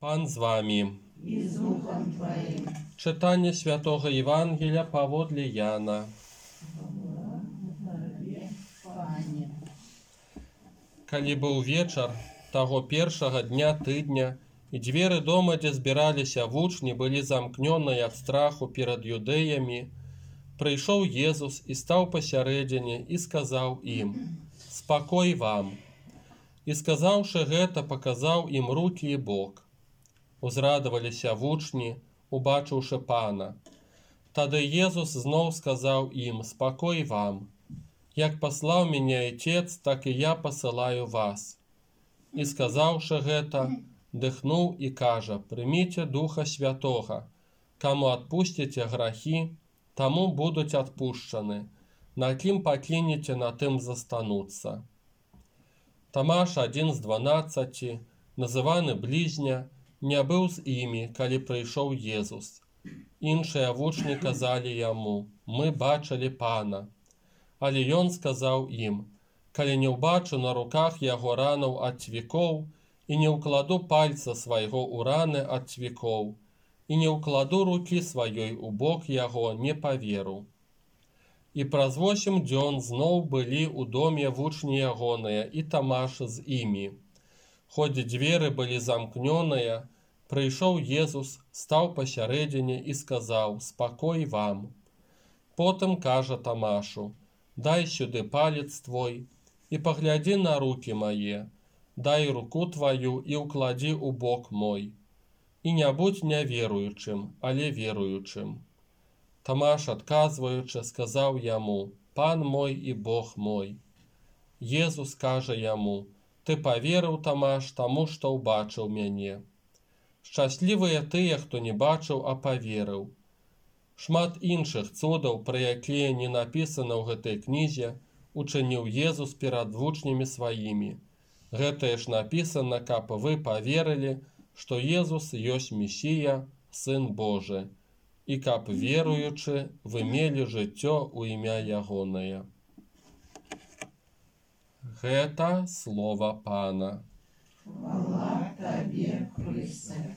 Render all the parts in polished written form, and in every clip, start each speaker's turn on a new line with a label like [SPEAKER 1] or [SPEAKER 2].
[SPEAKER 1] Пан з вами.
[SPEAKER 2] И с духом Твоим.
[SPEAKER 1] Читання Святого Євангелія паводле Яна.
[SPEAKER 2] Пане.
[SPEAKER 1] Калі быў вечар таго першага дня тыдня, і дзверы дома, дзе збіраліся вучні, былі замкнёныя ад страху перад юдэямі, прыйшоў Езус і стаў пасярэдзіне і сказаў ім: «Спакой вам!» І сказаўшы гэта, паказаў ім рукі і бок. Узрадаваліся вучні, убачыўшы Пана. Тады Езус зноў сказаў ім: «Спакой вам! Як паслаў мяне Отец, так і я пасылаю вас». І сказаўшы гэта, дыхнуў і кажа: «Прыміце Духа Святога. Каму адпусціце грахі, таму будуць адпушчаны. На кім паклінеце, на тым застануцца». Тамаш, адзін з 12, называны блізня, не быў з імі, калі прыйшоў Езус. Іншыя вучні казалі яму: «Мы бачылі Пана». Але ён сказаў ім: «Калі не ўбачу на руках яго ранаў ад цвікоў, і не ўкладу пальца свайго ў раны ад цвікоў, і не ўкладу рукі сваёй у бок яго, не паверу». І праз 8 дзён зноў былі ў доме вучні ягоныя, і Тамаш з імі. Хоць дзверы былі замкнёныя, прыйшоў Езус, стаў пасярэдзіне і сказаў: «Спакой вам!» Потым кажа Тамашу: «Дай сюды палец твой і паглядзі на рукі мае, дай руку тваю і ўкладзі ў бок мой. І не будзь няверуючым, але веруючым». Тамаш, адказваючы, сказаў яму: «Пан мой і Бог мой». Езус кажа яму: «Ты паверыў, Тамаш, таму што ўбачыў мяне. Шчаслівыя тыя, хто не бачыў, а паверыў». Шмат іншых цудаў, пра якія не напісана ў гэтай кнізе, учыніў Езус перад вучнямі сваімі. Гэтае ж напісана, каб вы паверылі, што Езус ёсць Месія, Сын Божы, і каб, веруючы, вы мелі жыццё ў імя ягонае. Гэта слова Пана.
[SPEAKER 2] Хвала Табе, Христе.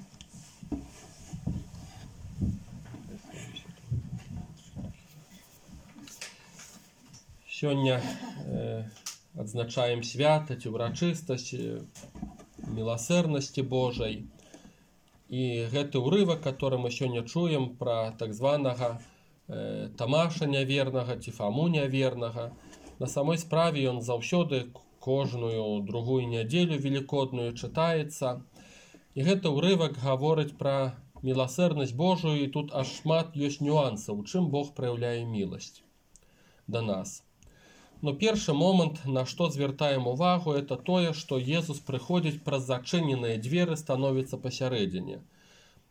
[SPEAKER 1] Сёння адзначаем свята ці ўрачыстасць міласэрнасці Божай. І гэты ўрывак, который мы сёння чуем пра так званага Тамаша нявернага ці Фаму нявернага, на самой справе ён заўсёды кожную другую нядзелю велікодную чытаецца. І гэты ўрывак гаворыць пра міласэрнасць Божую, і тут аж шмат ёсць нюансаў, у чым Бог праяўляе міласць да нас. Но першы момант, на што звяртаем увагу, это тое, што Езус прыходзіць праз зачыненыя дзверы, становіцца пасярэдзіне.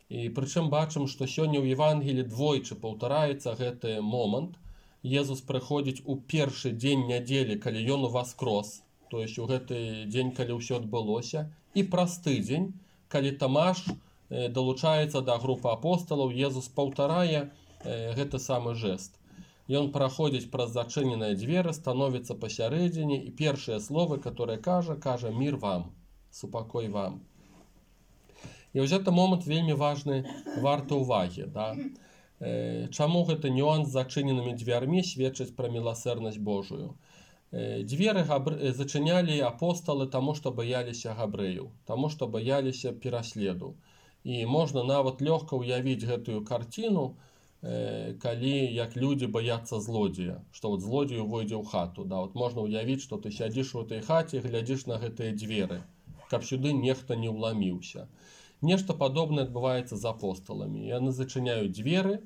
[SPEAKER 1] І прычым бачым, што сёння ў Евангелі двойчы паўтараецца гэты момант. Езус прыходзіць у першы дзень нядзелі, калі ён уваскрос, то есть у гэты дзень, калі ўсё адбылося, і праз тыдзень, калі Тамаш далучаецца да групы апосталаў, Езус паўтарае гэты самы жэст. Ён праходзіць праз зачыненыя дзверы, становіцца пасярэдзіне, і першыя словы, которые кажа: «Мир вам, супакой вам». І вось гэты момант вельмі важны, варты ўвагі. Да? Чаму гэты нюанс з зачыненымі дзвярмі сведчыць пра міласэрнасць Божую? Дзверы зачынялі апосталы таму, што баяліся габрэяў, таму, што баяліся пераследу. І можна нават лёгка ўявіць гэтую карціну, калі як людзі баяцца злодзея, што вот злодзею войдзе ў хату. Да, вот можна ўявіць, што ты сядзіш у этой хаце, глядзіш на гэтыя дзверы, каб сюды нехта не ўламіўся. Нешта падобнае адбываецца з апосталамі. Яны зачыняюць дзверы,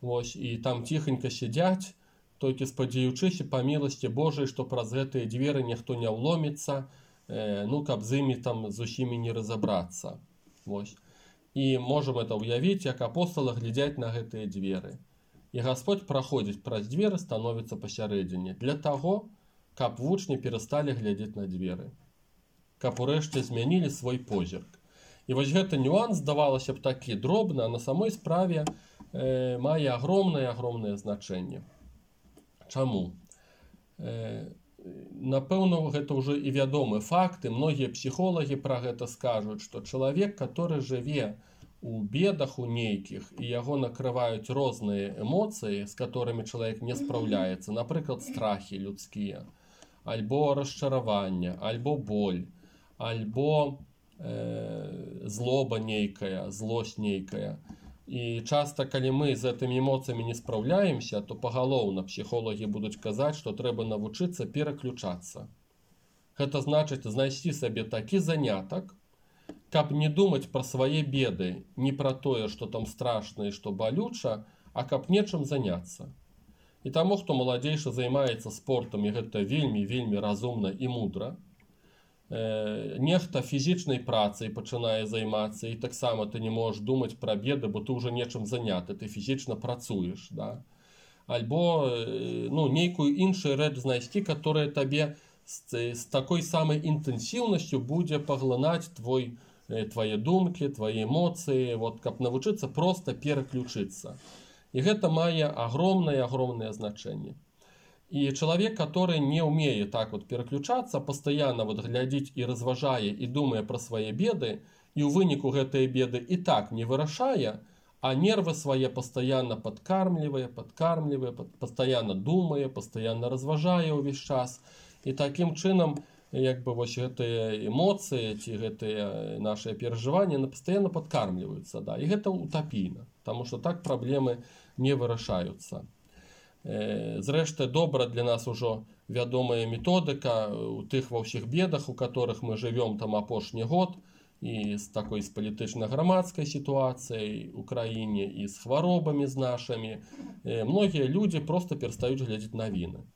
[SPEAKER 1] вось, і там ціхенька сядзяць, толькі спадзяючыся па міласці Божай, што праз гэтыя дзверы ніхто не ўломіцца, каб з імі там з усімі не разабрацца. Вось. І можам это ўявіць, як апосталы глядзяць на гэтыя дзверы. І Гасподзь праходзіць праз дзверы, становіцца пасярэдзіне, для таго, каб вучні перасталі глядзець на дзверы, каб урэшце змянілі свой позірк. І вось гэты нюанс, здавалася б, такі дробны, а на самой справе мае агромнае значэнне. Чаму? напэўна, гэта ўжо і вядомы факт, і многія псіхолагі пра гэта скажуць, што чалавек, который жыве у бедах у нейкіх, і яго накрываюць розныя эмоцыі, з которыми чалавек не спраўляецца, напрыклад, страхі людскія, альбо расчараванне, альбо боль, альбо злоба нейкая, злосць нейкая. І часта, калі мы з гэтымі эмоцыямі не спраўляемся, то пагалоўна псіхолагі будуць казаць, што трэба навучыцца пераключацца. Гэта значыць знайсці сабе такі занятак, каб не думаць пра свае беды, не пра тое, што там страшна і што балюча, а каб нечым заняцца. І таму, хто маладзейшы займаецца спортам, і гэта вельмі разумна і мудра, нехта фізічнай працай пачынае займацца, і таксама ты не можаш думаць пра беды, бо ты ўжо нечым заняты, ты фізічна працуеш, да? Альбо нейкую іншую рэч знайсці, которая табе з такой самай інтэнсіўнасцю будзе паглынаць твае думкі, твае эмоцыі, каб навучыцца проста пераключыцца. І гэта мае агромнае значэнне. І чалавек, который не ўмее так пераключацца, пастаянна глядзіць і разважае і думае пра свае беды, і ў выніку гэтыя беды і так не вырашае, а нервы свае пастаянна падкармлівае, пастаянна думае, пастаянна разважае ўвесь час. І такім чынам, гэтыя эмоцыі ці гэтыя нашыя перажыванні пастаянна падкармліваюцца. Да? І гэта утапійна, таму што так праблемы не вырашаюцца. Зрэшты, добра для нас ужо вядомая методыка у тых ва ўсіх бедах, у которых мы жывём там апошні год, і з такой палітычна-грамадскай сітуацыяй у краіне, і з хваробамі з нашымі. Многія людзі проста перастаюць глядзець навіны.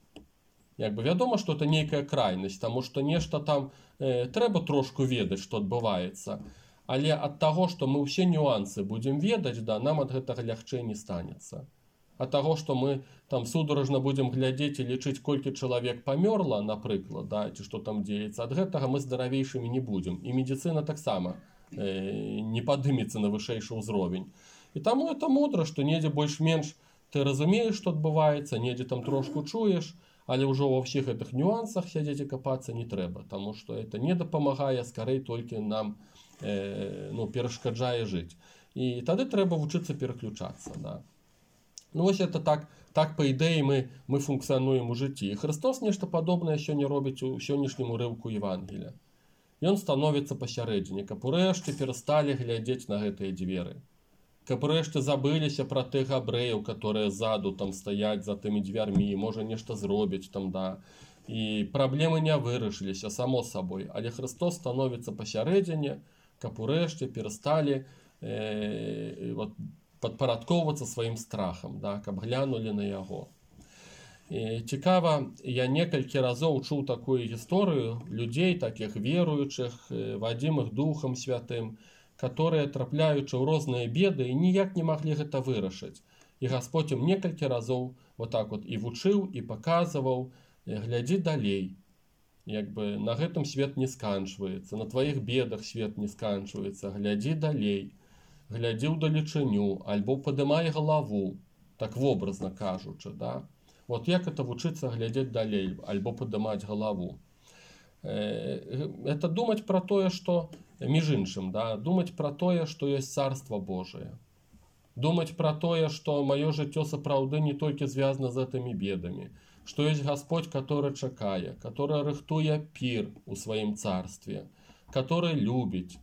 [SPEAKER 1] Вядома, што это нейкая крайнасць, таму што нешта там трэба трошку ведаць, што адбываецца. Але ад таго, што мы ўсе нюансы будзем ведаць, нам ад гэтага лягчэй не станецца. Ад таго, што мы там сударожна будзем глядзець і лічыць, колькі чалавек памёрла, напрыклад, ці што там дзеецца, ад гэтага мы здаравейшымі не будзем. І медыцына таксама не падымецца на вышэйшы ўзровень. І таму это мудра, што недзе больш-менш ты разумееш, што адбываецца, недзе там трошку чуеш, але ўжо ва ўсіх гэтых нюансах сядзець і капацца не трэба, таму што это не дапамагае, скарэй толькі нам перашкаджае жыць. І тады трэба вучыцца пераключацца, да. Вось это так па ідэі мы функцыянуем у жыцці. І Христос нешта падобнае сёння робіць у сённяшнім урыўку Евангелія. Ён становіцца пасярэдзіне, каб урэшце перасталі глядзець на гэтыя дзверы. Каб урэшце забыліся пра тых габрэяў, которые ззаду там стаяць за тымі дзвярмі, можа нешта зробяць там, да. І праблемы не вырашыліся, само сабой. Але Христос становіцца пасярэдзіне, каб урэшце перасталі падпарадкоўвацца сваім страхам, да, каб глянулі на яго. Цікава, я некалькі разоў чуў такую гісторыю людзей, такіх веруючых, вадзімых Духам Святым, которые, трапляючы ў розныя беды, і ніяк не маглі гэта вырашыць. І Гасподзь ім некалькі разоў і вучыў, і паказваў, глядзі далей. На гэтым свет не сканчваецца, на тваіх бедах свет не сканчваецца, глядзі далей. Глядзі ўдалечыню, альбо падымай галаву, так вобразна кажучы, да? Як это вучыцца глядзець далей, альбо падымаць галаву? Это думаць пра тое, што, між іншым, да? Думаць пра тое, што ёсць Царства Божие. Думаць пра тое, што маё жыццё сапраўды не толькі звязана з гэтымі бедамі, што ёсць Гасподь, который чакае, который рыхтуе пір у сваім царстве, который любіць,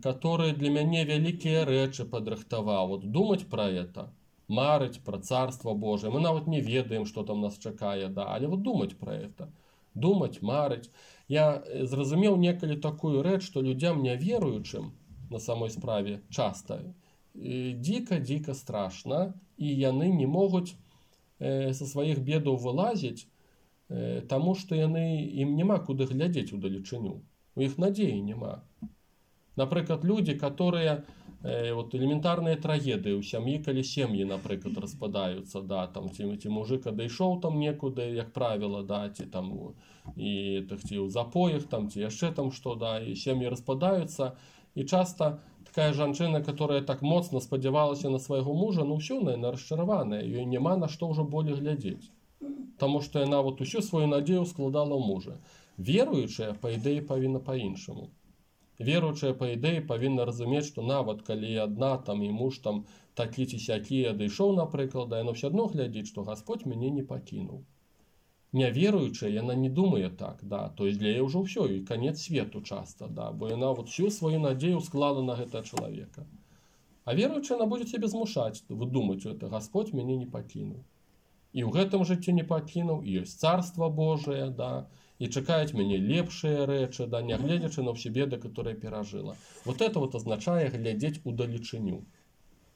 [SPEAKER 1] который для мяне вялікія рэчы падрыхтаваў. Думаць пра это, марыць пра Царства Божие. Мы нават не ведаем, што там нас чакае, да, але думаць пра это. Думаць, марыць. Я зразумеў некалі такую рэч, што людзям няверуючым на самой справе часта дзіка страшна, і яны не могуць са сваіх бедаў вылазіць, таму што ім няма куды глядзець удалечыню. У іх надзеі няма. Напрыклад, людзі, которые элементарныя трагедыі ў сям'і, калі сем'і, напрыклад, распадаюцца, да, там, ці мужик адышоў там некуды, як правіла, да, ці там і ў запоях, там, ці яшчэ там што, да, і сем'і распадаюцца, і часта такая жанчына, которая так моцна спадзявалася на свайго мужа, ўсё, яна расчараваная, ёй няма на што ўжо болей глядзець. Таму што яна вот усю сваю надзею складала ў мужа. Веруючая, па ідэі, павінна па-іншаму. Веруючая, па ідэі, павінна разумець, што нават калі адна там і муж там такі ці сякі адышоў, напрыклад, яна ўсё адно глядзіць, што Гасподзь мяне не пакінуў. Няверуючая, яна не думае так, да, то есть для яе ўжо ўсё, і канец свету часта, да, бо яна вот всю сваю надзею склала на гэтага чалавека. А веруючая, яна будзе цябе змушаць выдумаць, што это Гасподзь мяне не пакінуў. І ў гэтым жыцці не пакінуў, і ёсць царства Божае, да, і чакаюць мяне лепшыя рэчы, да, нягледзячы на ўсе беды, которые перажыла. Вот это вот азначае глядзець удалечыню,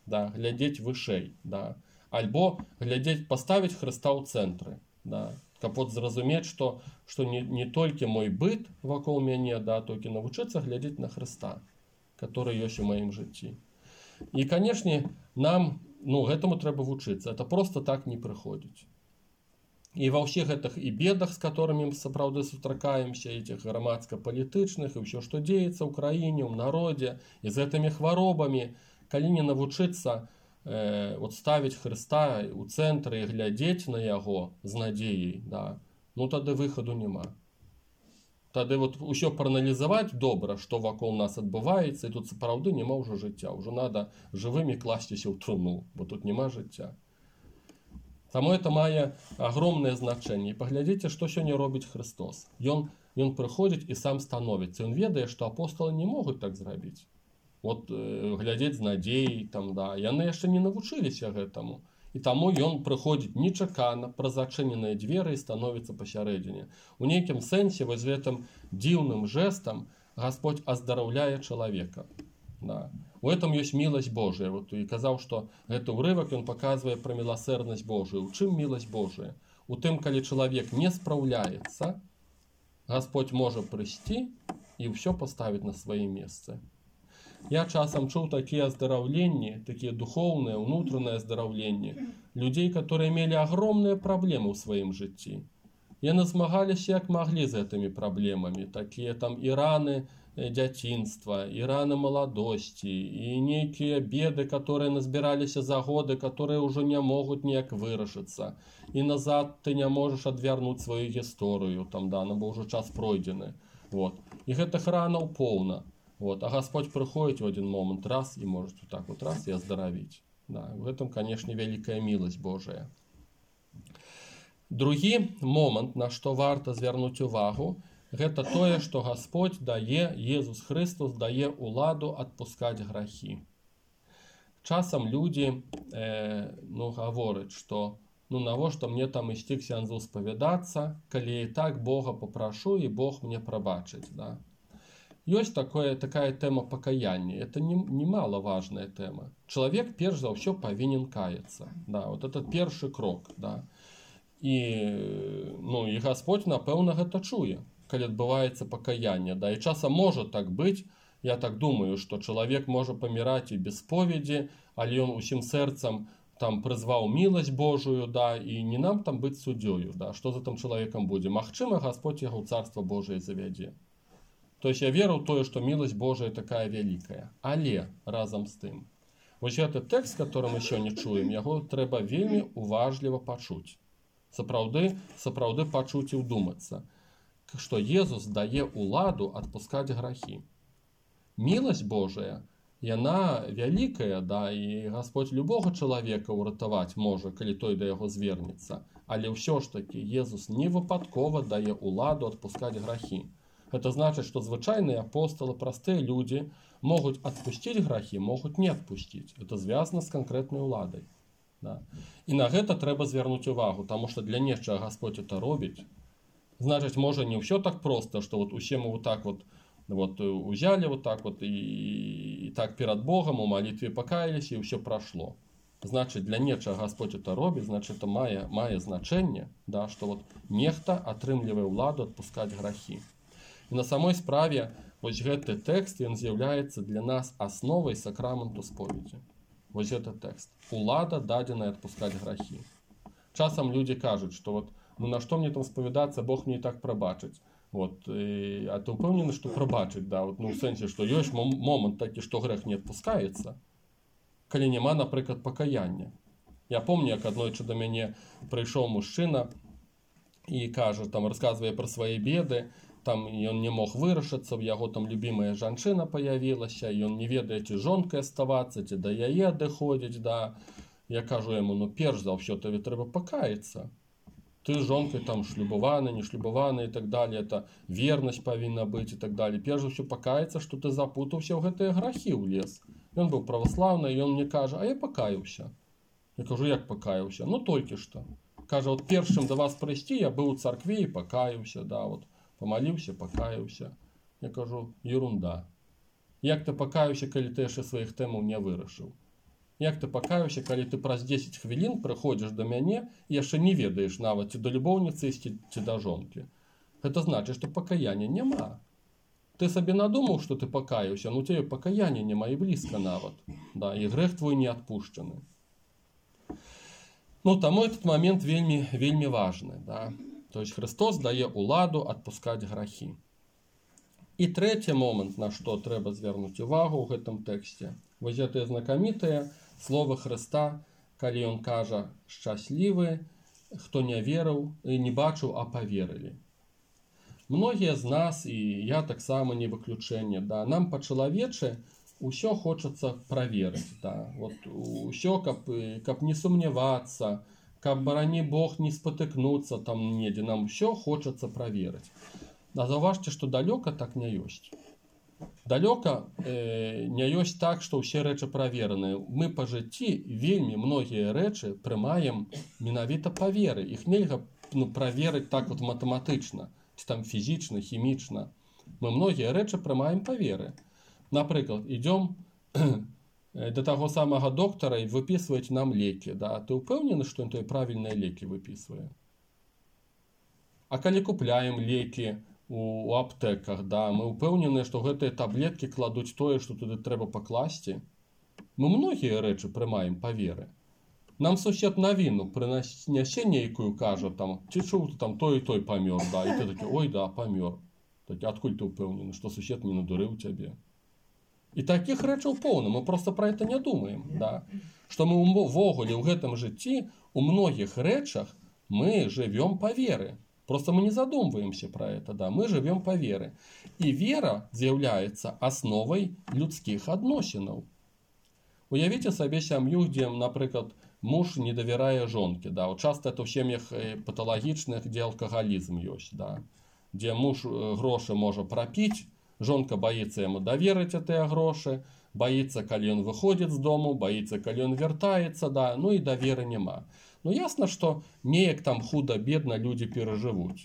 [SPEAKER 1] да, глядзець вышэй, да, альбо глядзець, паставіць Хрыста ў цэнтры, да, каб вот зразумець, што не толькі мой быт вакол мяне, да, толькі навучыцца глядзець на Хрыста, который ёсць у маім жыцці. І, канешне, нам, гэтаму трэба вучыцца, это просто так не прыходзіць. І ва ўсіх гэтых і бедах, з которымі мы сапраўды сустракаемся, этих грамадска-палітычных, і ўсё, што дзеецца ў краіне, ў народзе, і з гэтымі хваробамі, калі не навучыцца вот ставіць Хрыста ў цэнтры і глядзець на яго з надзеяй, да, тады выхаду няма. Тады вот усё прааналізаваць добра, што вакол нас адбываецца, і тут сапраўды няма ўжо жыцця. Ўжо надо жывымі класціся ў труну, бо тут няма жыцця. Таму это мае агромнае значэнне. І паглядзіце, што сёння робіць Хрыстос. Ён прыходзіць і сам становіцца. Ён ведае, што апосталы не могуць так зрабіць. Вот глядзець з надзеяй, там, да, яны яшчэ не навучыліся гэтаму. І таму ён прыходзіць нечакана праз зачыненыя дзверы і становіцца пасярэдзіне. У нейкім сэнсе вось гэтым дзіўным жэстам Гасподзь аздараўляе чалавека. Да. У этом ёсць міласць Божая. Вот, і казаў, што гэты ўрывак ён паказвае пра міласэрнасць Божую. У чым міласць Божая? У тым, калі чалавек не спраўляецца, Гасподзь можа прыйсці і ўсё паставіць на свае месцы. Я часам чуў такія аздараўленні, такія духоўныя, унутраныя аздараўленні людзей, которые мелі агромныя праблемы ў сваім жыцці. Яны змагаліся як маглі з гэтымі праблемамі, такія там і раны дзяцінства, і раны маладосці, і нейкія беды, которые назбіраліся за годы, которые ўжо не могуць ніяк вырашыцца. І назад ты не можаш адвярнуць сваю гісторыю, там, да, бо ўжо час пройдзены. Вот. І гэтых ранаў поўна. Вот. А Гасподзь прыходзіць у адзін момант раз і можа так вот раз і аздаравіць. Да. В этом, канешне, вялікая міласць Божая. Другі момант, на што варта звярнуць увагу, гэта тое, што Гасподзь дае, Езус Хрыстос дае ўладу адпускаць грахі. Часам людзі гавораць, што навошта мне там ісці к сянзу спавядацца, калі і так Бога папрашу, і Бог мне прабачыць. Да? Ёсць такая тэма пакаяння. Это немаловажная тэма. Чалавек перш за ўсё павінен каяцца. Да? Вот это першы крок. Да? І Гасподзь, напэўна, гэта чуе, калі адбываецца пакаянне. Да? І часам можа так быць, я так думаю, што чалавек можа паміраць і без споведзі, але ён усім сэрцам там прызваў міласць Божую, да, і не нам там быць суддзёю, да, што за там чалавекам будзе. Магчыма, Гасподзь яго ў царства Божае завядзе. То есть я веру ў тое, што міласць Божая такая вялікая. Але разам з тым, вось гэты тэкст, который мы сёння чуем, яго трэба вельмі уважліва пачуць. Сапраўды пачуць і ўдумацца, што Езус дае ўладу адпускаць грахі. Міласць Божая, яна вялікая, да, і Гасподзь любога чалавека ўратаваць можа, калі той да яго звернецца. Але ўсё ж такі Езус не выпадкова дае ўладу адпускаць грахі. Это значыць, што звычайныя апосталы, простыя людзі могуць адпусціць грахі, могуць не адпусціць. Это звязана з канкрэтнай уладай. Да. І на гэта трэба звярнуць увагу, таму што для нечага Гасподзь это робіць. Значыць, можа не ўсё так проста, што вот усе мы вот так вот узялі вот так вот і так перад Богом у малітве пакаяліся, і ўсё прашло. Значыць, для нечага Гасподзь это робіць, значыць, это мае значэнне, да, што вот нехта атрымлівае ўладу адпускаць грахі. І на самой справе вось гэты тэкст, ён з'яўляецца для нас асновай сакраменту споведзі. Вось гэты тэкст. Улада дадзеная адпускаць грахі. Часам людзі кажуць, што вот, на што мне там спавядацца, Бог мне і так прабачыць. Вот, а ты ўпэўнены, што прабачыць, да, вот, у сэнсе, што ёсць момант такі, што грэх не адпускаецца, калі няма, напрыклад, пакаяння. Я помню, як аднойчы да мяне прыйшоў мужчына і кажа, там расказвае пра свае беды, там ён не мог вырашыцца, у яго там любімая жанчына паявілася, ён не ведае, ці жонкай аставацца, ці да яе адыходзіць, да. Я кажу яму, ну перш за ўсё табе трэба пакаяцца. Ты з жонкай там шлюбаваны, не шлюбаваны і так далее, это вернасць павінна быць і так далее. Перш за ўсё пакаяцца, што ты запутаўся ў гэтыя грахі ўлез. Ён быў праваслаўны, і ён мне кажа, а я пакаяўся. Я кажу, як пакаяўся? Ну толькі што. Кажа, от першым да вас прыйсці, я быў у царкве і пакаяўся, да, вот. Помолился, покаялся. Я кажу, ерунда. Як ты пакаяўся, калі ты яшчэ сваіх тэмаў не вырашыў? Як ты пакаяўся, калі ты праз 10 хвілін прыходзіш да мяне і яшчэ не ведаеш нават, ці да любоўніцы ісці, ці да жонкі? Гэта значыць, што пакаяння няма. Ты сабе надумаў, што ты пакаяўся, но у цябе пакаяння няма і блізка нават. Да, і грэх твой не адпушчаны. Ну, таму этот момент вельмі, вельмі важны, да. То есть Христос дае ўладу адпускаць грахі. І трэці момант, на што трэба звярнуць увагу ў гэтым тэксце. Вось гэтыя знакамітыя словы Хрыста, калі ён кажа «шчаслівы, хто не верыў і не бачыў, а паверылі». Многія з нас, і я таксама не выключэнне, да, нам па-чалавечы ўсё хочацца праверыць. Да. Вот, усё, каб не сумнявацца, каб, барані Бог, не спатыкнуцца там недзе, нам ўсё хочацца праверыць. А заўважце, што далёка так не ёсць. Далёка не ёсць так, што ўсе рэчы правераныя. Мы па жыцці вельмі многія рэчы прымаем менавіта па веры. Іх нельга праверыць так вот матэматычна, ці там фізічна, хімічна. Мы многія рэчы прымаем па веры. Напрыклад, ідём да таго самага доктара і выпісваюць нам лекі. Да? Ты ўпэўнены, што ён тыя правільныя лекі выпісвае? А калі купляем лекі у аптэках, да, мы ўпэўненыя, што гэтыя таблеткі кладуць тое, што туды трэба пакласці? Мы многія рэчы прымаем па веры. Нам сусед навіну прынясе нейкую, кажа, там, ці чуў ты там той і той памёр, да, і ты такі, ой, да, памёр. Такі, адкуль ты ўпэўнены, што сусед не надурыў цябе? І такіх рэчаў поўна, мы проста пра гэта не думаем, да. Што мы ўвогуле ў гэтым жыцці, у многіх рэчах мы жывём па веры. Просто мы не задумваемся пра гэта, да, мы жывём па веры. І вера з'яўляецца асновай людскіх адносінаў. Уявіце сабе сям'ю, дзе, напрыклад, муж не давярае жонкі, да. Часта это ў сем'ях паталагічных, дзе алкагалізм ёсць, да. Дзе муж грошы можа прапіць, жонка боится ему доверить эти гроши, боится, калі он выходит з дому, боится, калі он вяртаецца, да, ну і даверы няма. Ну ясно, что неяк там худо-бедно люди переживут,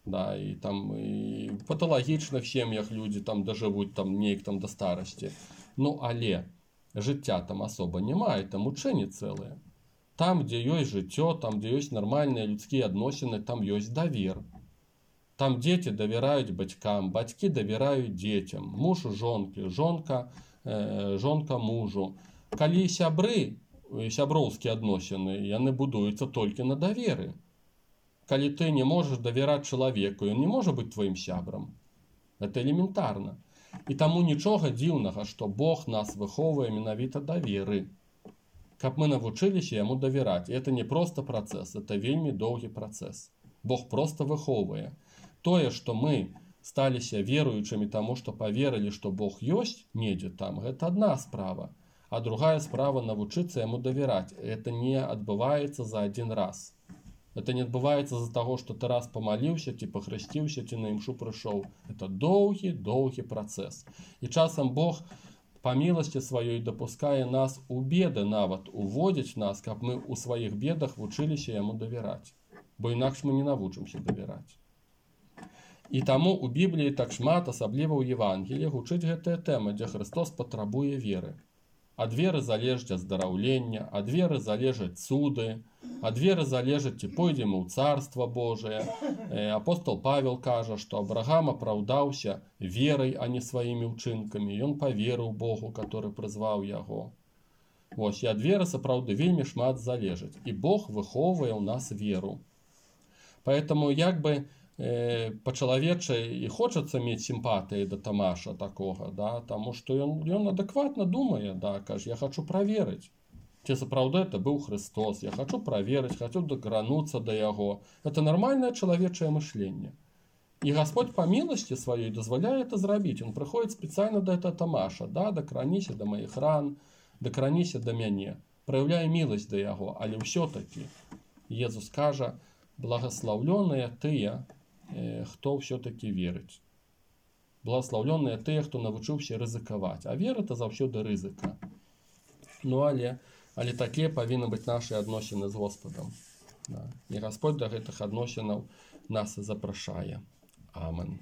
[SPEAKER 1] да, и там и в паталагічных сем'ях люди там доживут там неяк там до старости. Ну але жыцця там особо няма, это мучэнні цэлыя. Там, где ёсць жыццё, там, где ёсць нармальныя людскія адносіны, там ёсць давер. Там дети доверяют батькам, батьки доверяют детям, муж жонке, жонка мужу. Калі сябры, сяброўскія адносіны, яны будуюцца толькі на даверы. Калі ты не можаш давяраць чалавеку, ён не можа быць твоим сябрам. Это элементарна. І таму нічога дзіўнага, што Бог нас выхоўвае менавіта да веры. Каб мы навучыліся яму давяраць. Это не просто працэс, это вельмі доўгі працэс. Бог просто выхоўвае. Тое, што мы сталіся веруючымі таму, што паверылі, што Бог ёсць недзе там, гэта адна справа. А другая справа навучыцца яму давяраць. Это не адбываецца за один раз. Это не адбываецца з-за таго, што ты раз памаліўся, ці пахрысціўся, ці на імшу прыйшоў. Это доўгі працэс. І часам Бог па міласці сваёй дапускае нас у беды нават, уводзіць нас, каб мы ў сваіх бедах вучыліся яму давяраць. Бо інакш мы не навучымся давяраць. І таму у Бібліі так шмат, асабліва ў Евангеліі, гучыць гэтая тэма, дзе Христос патрабуе веры. Ад веры залежыць аздараўлення, ад веры залежаць цуды, ад веры залежыць, ці пойдзем у Царства Божие. Апостол Павел кажа, што Абрагам апраўдаўся верай, а не сваімі ўчынкамі. Ён паверыў Богу, который прызваў яго. Вось, і ад веры сапраўды вельмі шмат залежыць. І Бог выхоўвае ў нас веру. Поэтому як бы па-чалавечай і хочацца мець сімпатыі да Тамаша такога, да, таму што ён адэкватна думае, да, кажа, я хочу праверыць. Ці сапраўды это быў Христос. Я хочу праверыць, хочу дакрануцца да яго. Это нормальное чалавечае мышленне. І Господь по милости сваёй дазваляе это зрабіць. Он прыходзіць спецыяльна да этого Тамаша, да, дакраніся да маіх ран, дакраніся да мяне, праяўляе міласць да яго, але ўсё-таки Езус кажа: благословленыя тыя, хто ўсё-таки верыць. Благословленыя тыя, хто навучыўся рызыкаваць. А вера — это заўсёды рызыка. Ну, але такія павінны быць нашы адносіны з Господам. Да. І Господь да гэтых адносінаў нас і запрашае. Амен.